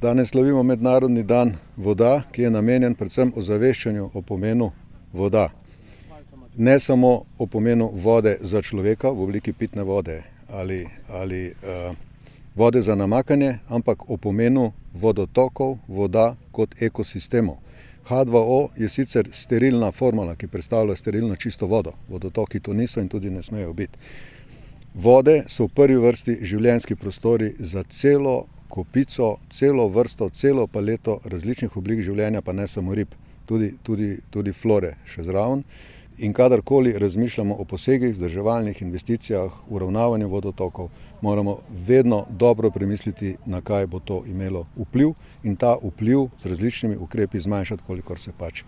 Danes slavimo Mednarodni dan voda, ki je namenjen predvsem ozaveščanju o pomenu voda. Ne samo o pomenu vode za človeka v obliki pitne vode ali vode za namakanje, ampak o pomenu vodotokov, voda kot ekosistemov. H2O je sicer sterilna formula, ki predstavlja sterilno čisto vodo. Vodotoki to niso in tudi ne smejo biti. Vode so v prvi vrsti življenjski prostori za celo kopico, celo vrsto, celo paleto različnih oblik življenja, pa ne samo rib, tudi flore še zraven. In kadarkoli razmišljamo o posegih, vzdrževalnih investicijah, uravnavanju vodotokov, moramo vedno dobro premisliti, na kaj bo to imelo vpliv in ta vpliv z različnimi ukrepi zmanjšati, kolikor se pač